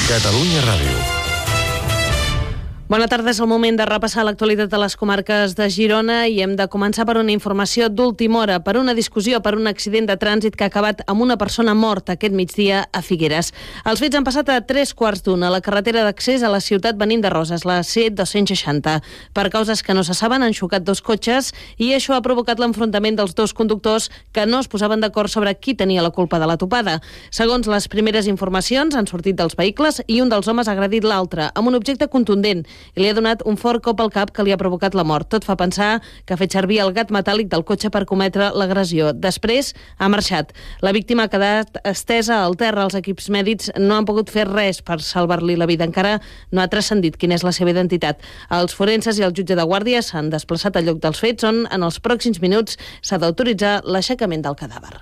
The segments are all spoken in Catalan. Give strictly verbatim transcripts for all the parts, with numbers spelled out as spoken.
Catalunya Ràdio. Bona tarda, és el moment de repassar l'actualitat de les comarques de Girona i hem de començar per una informació d'última hora, per una discussió, per un accident de trànsit que ha acabat amb una persona morta aquest migdia a Figueres. Els fets han passat a tres quarts d'una a la carretera d'accés a la ciutat venint de Roses, la C dos-cents seixanta. Per causes que no se saben, han xocat dos cotxes i això ha provocat l'enfrontament dels dos conductors que no es posaven d'acord sobre qui tenia la culpa de la topada. Segons les primeres informacions, han sortit dels vehicles i un dels homes ha agredit l'altre amb un objecte contundent i li ha donat un fort cop al cap que li ha provocat la mort. Tot fa pensar que ha fet servir el gat metàl·lic del cotxe per cometre l'agressió. Després ha marxat. La víctima ha quedat estesa al terra. Els equips mèdics no han pogut fer res per salvar-li la vida. Encara no ha transcendit quina és la seva identitat. Els forenses i el jutge de guàrdia s'han desplaçat al lloc dels fets, on en els pròxims minuts s'ha d'autoritzar l'aixecament del cadàver.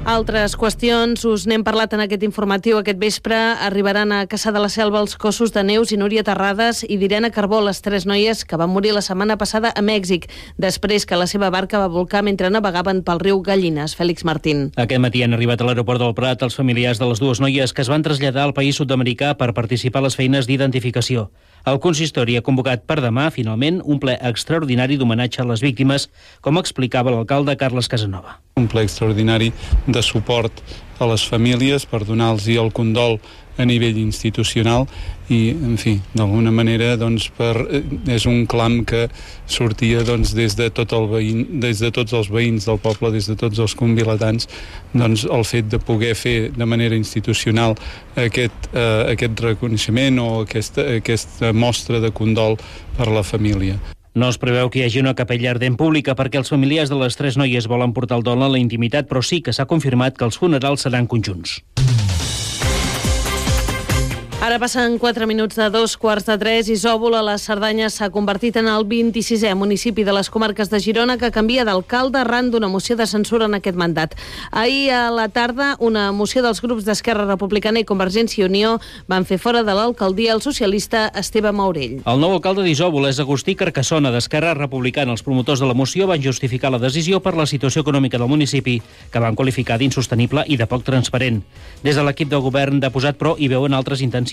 Altres qüestions, us n'hem parlat en aquest informatiu. Aquest vespre arribaran a Cassà de la Selva els cossos de Neus i Núria Terrades i d'Irene Carbó, les tres noies que van morir la setmana passada a Mèxic, després que la seva barca va volcar mentre navegaven pel riu Gallines. Fèlix Martín. Aquest matí han arribat a l'aeroport del Prat els familiars de les dues noies que es van traslladar al país sud-americà per participar a les feines d'identificació. El consistori ha convocat per demà, finalment, un ple extraordinari d'homenatge a les víctimes, com explicava l'alcalde Carles Casanova. Un ple extraordinari de suport a les famílies per donar-los el condol a nivell institucional i, en fi, d'alguna manera doncs, per, és un clam que sortia doncs, des, de tot el veïn, des de tots els veïns del poble, des de tots els convilatans, doncs, el fet de poder fer de manera institucional aquest, eh, aquest reconeixement o aquesta, aquesta mostra de condol per la família. No es preveu que hi hagi una capella ardent pública perquè els familiars de les tres noies volen portar el dol a la intimitat, però sí que s'ha confirmat que els funerals seran conjunts. Ara passen quatre minuts de dos quarts de tres. Isòvol, a la Cerdanya, s'ha convertit en el vint-i-sisè municipi de les comarques de Girona que canvia d'alcalde arran d'una moció de censura en aquest mandat. Ahir a la tarda, una moció dels grups d'Esquerra Republicana i Convergència i Unió van fer fora de l'alcaldia el socialista Esteve Maurell. El nou alcalde d'Isòvol és Agustí Carcassona, d'Esquerra Republicana. Els promotors de la moció van justificar la decisió per la situació econòmica del municipi, que van qualificar d'insostenible i de poc transparent. Des de l'equip de govern de posat, però, hi veuen altres intencions,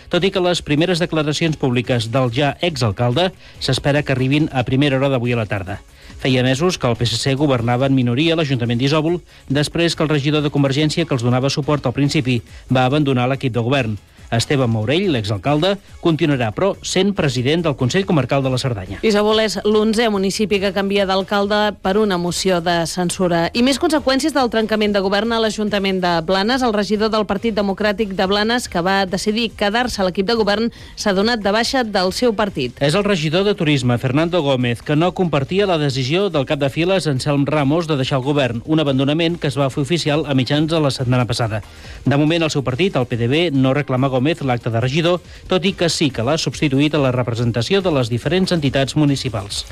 tot i que les primeres declaracions públiques del ja exalcalde s'espera que arribin a primera hora d'avui a la tarda. Feia mesos que el P S C governava en minoria a l'Ajuntament d'Isòvol després que el regidor de Convergència, que els donava suport al principi, va abandonar l'equip de govern. Esteve Maurell, l'exalcalde, continuarà, però, sent president del Consell Comarcal de la Cerdanya. Isòvol és l'onzè municipi que canvia d'alcalde per una moció de censura. I més conseqüències del trencament de govern a l'Ajuntament de Blanes. El regidor del Partit Democràtic de Blanes, que va decidir quedar-se a l'equip de govern, s'ha donat de baixa del seu partit. És el regidor de Turisme, Fernando Gómez, que no compartia la decisió del cap de files, Anselm Ramos, de deixar el govern, un abandonament que es va fer oficial a mitjans de la setmana passada. De moment, el seu partit, el P D B, no reclama Gómez l'acte de regidor, tot i que sí que l'ha substituït a la representació de les diferents entitats municipals.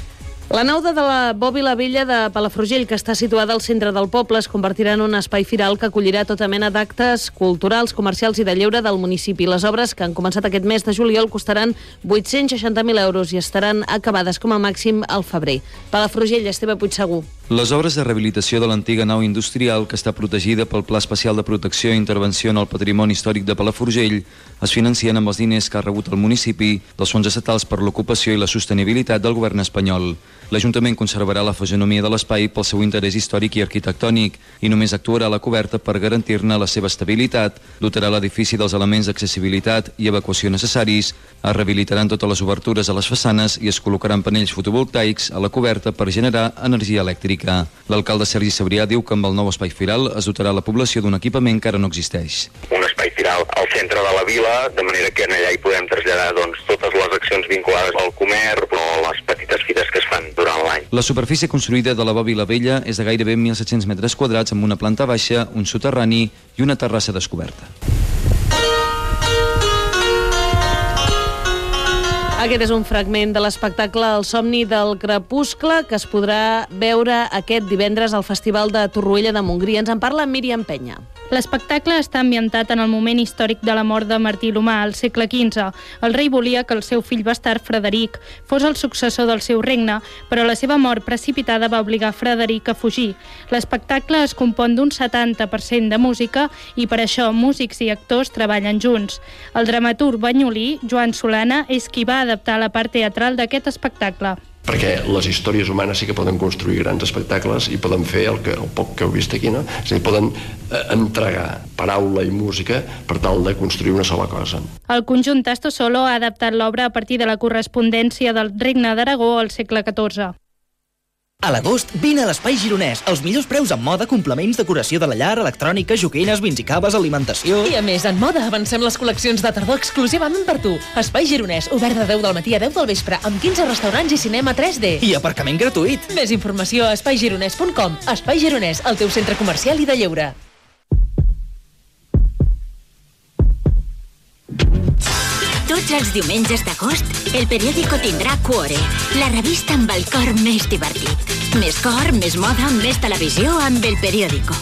La nau de la Bòbila Vella de Palafrugell, que està situada al centre del poble, es convertirà en un espai firal que acollirà tota mena d'actes culturals, comercials i de lleure del municipi. Les obres, que han començat aquest mes de juliol, costaran vuit-cents seixanta mil euros i estaran acabades com a màxim al febrer. Palafrugell, Esteve Puigsegur. Les obres de rehabilitació de l'antiga nau industrial, que està protegida pel Pla Especial de Protecció i Intervenció en el Patrimoni Històric de Palafrugell, es financien amb els diners que ha rebut el municipi dels fons estatals per l'ocupació i la sostenibilitat del govern espanyol. L'Ajuntament conservarà la fisonomia de l'espai pel seu interès històric i arquitectònic i només actuarà a la coberta per garantir-ne la seva estabilitat, dotarà l'edifici dels elements d'accessibilitat i evacuació necessaris, es rehabilitaran totes les obertures a les façanes i es col·locaran panells fotovoltaics a la coberta per generar energia elèctrica. L'alcalde Sergi Sabrià diu que amb el nou espai firal es dotarà la població d'un equipament que ara no existeix. Un espai firal al centre de la vila, de manera que allà hi podem traslladar doncs, totes les accions vinculades al comerç o les petites fites que es fan durant l'any. La superfície construïda de la Bòbila Vella és de gairebé mil set-cents metres quadrats amb una planta baixa, un soterrani i una terrassa descoberta. Aquest és un fragment de l'espectacle El somni del crepuscle, que es podrà veure aquest divendres al Festival de Torroella de Montgrí. Ens en parla Míriam Penya. L'espectacle està ambientat en el moment històric de la mort de Martí l'Humà, al segle quinze. El rei volia que el seu fill bastard, Frederic, fos el successor del seu regne, però la seva mort precipitada va obligar Frederic a fugir. L'espectacle es compon d'un setanta per cent de música i per això músics i actors treballen junts. El dramaturg banyolí, Joan Solana, és qui va adaptar la part teatral d'aquest espectacle. Perquè les històries humanes sí que poden construir grans espectacles i poden fer el, que, el poc que heu vist aquí, no? És a dir, poden eh, entregar paraula i música per tal de construir una sola cosa. El conjunt Tasto Solo ha adaptat l'obra a partir de la correspondència del Regne d'Aragó al segle catorze. A l'agost, vine a l'Espai Gironès. Els millors preus en moda, complements, decoració de la llar, electrònica, joguines, vins i caves, alimentació... I a més, en moda avancem les col·leccions de tardor exclusivament per tu. Espai Gironès, obert de deu del matí a deu del vespre, amb quinze restaurants i cinema tres D. I aparcament gratuït. Més informació a espai gironès punt com. Espai Gironès, el teu centre comercial i de lleure. Tots els diumenges d'agost, el periòdico tindrà Cuore, la revista amb el cor més divertit. Més cor, més moda, més televisió amb el periòdico.